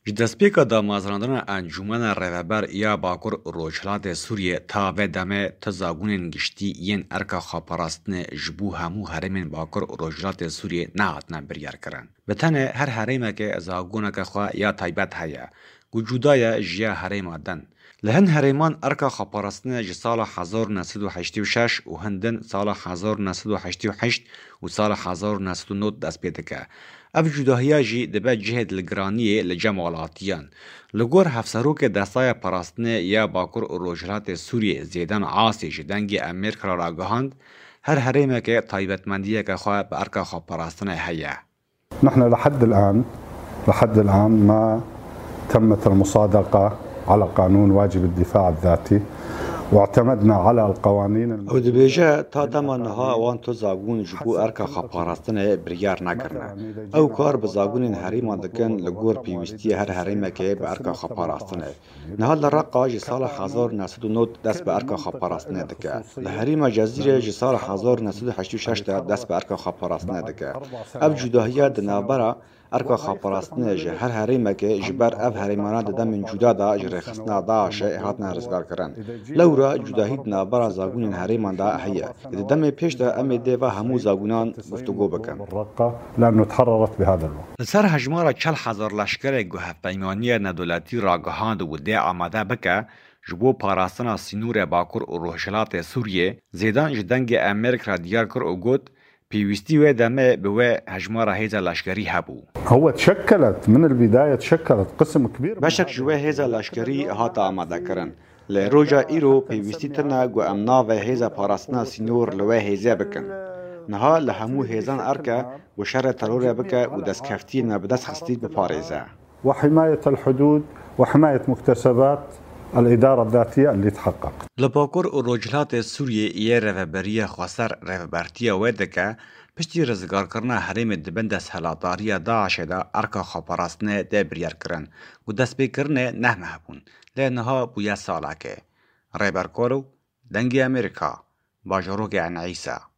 Ji destpêka damezrandina Encûmena Rêveber ya Bakur û Rojhilatê Sûriyê ta vê demê ti zagonên giştî yên erka xweparastinê ji bo hemû herêmên Bakur û Rojhilatê Sûriyê nehatine biryarkirin. Bi tenê her herêmekê zagoneke xwe ya taybet heye ku cuda ye ji ya herêma din. Li hin herêman erka xweparastinê ji sala 1986 û hin din sala 1988 û sala 1990 dest pê dike. Ev cudahiya jî dibe cihê dilgiraniyê li cem welatiyan. Li gor Hevserokê Destaya Parastinê ya Bakur û Rojhilatê Sûriyê Zêdan Asî ji Dengê Amerîka re ragihand, Her herêmekê taybetmendiyeke xwe bi erka xweparastinê heye. نحن لحد الآن لحد الآن ما تمت المصادقة على قانون واجب الدفاع الذاتي واعتمدنا على القوانين Ew dibêje ta dema niha wan tu zagon ji bo erka xweparastinê biryar nekirine. Ew kar bi zagonên herêman dikin li gor pêwîstiya her herêmekê bi erka xweparastinê. Niha li Reqa ji sala 1990 dest bi erka xweparastinê dike. Li herêma Cezîrê ji sala 1986 de dest bi erka xweparastinê dike. Ev cudahiya di navbera erka xweparastinê ji her herêmekê ji ber ev herêmana di demên cuda de ji rêxistina DAIŞ'ê hatine rizgarkirin. Lewra cudahî di navbera zagonên herêman de heye. Di demê pêş de em ê dê va hemû zagonan guftûgo bikin. Li ser hejmara 40 hezar leşkerê ku Hevpeymaniya Navdewletî ragihand û dê amade bike ji bo parastina sînorê Bakur û Rojhilatê Sûriyê, Zêdan ji Dengê Amerîka re diyar kir û got, Pêwîstî wê demê bi wê hejmara hêza leşkerî hebû. هو تشكلت من البداية تشكلت قسم كبير من Beşek ji wê hêza leşkerî hate amadekirin. Lê roja îro pêwîstî tune ku em navê hêza parastina sînor li wê hêzê bikin. Niha li hemû hêzan erk e ku şerê terorê bike û destkeftiyên me bi dest xistî biparêze. وحماية الحدود وحماية مكتسبات الإدارة الذاتية اللي تحققت. Li Bakur û Rojhilatê Sûriyê yê Rêveberiya Xweser rêvebertiya wê dike, piştî rizgarkirina herêmê di bin desthilatdariya DAIŞ'ê de erka xweparastinê tê biryarkirin ku destpêkirinê neh meh bûn, lê niha bûye salekê. Rêber Kolo, Dengê Amerîka, bajarokê Eyn Îsa.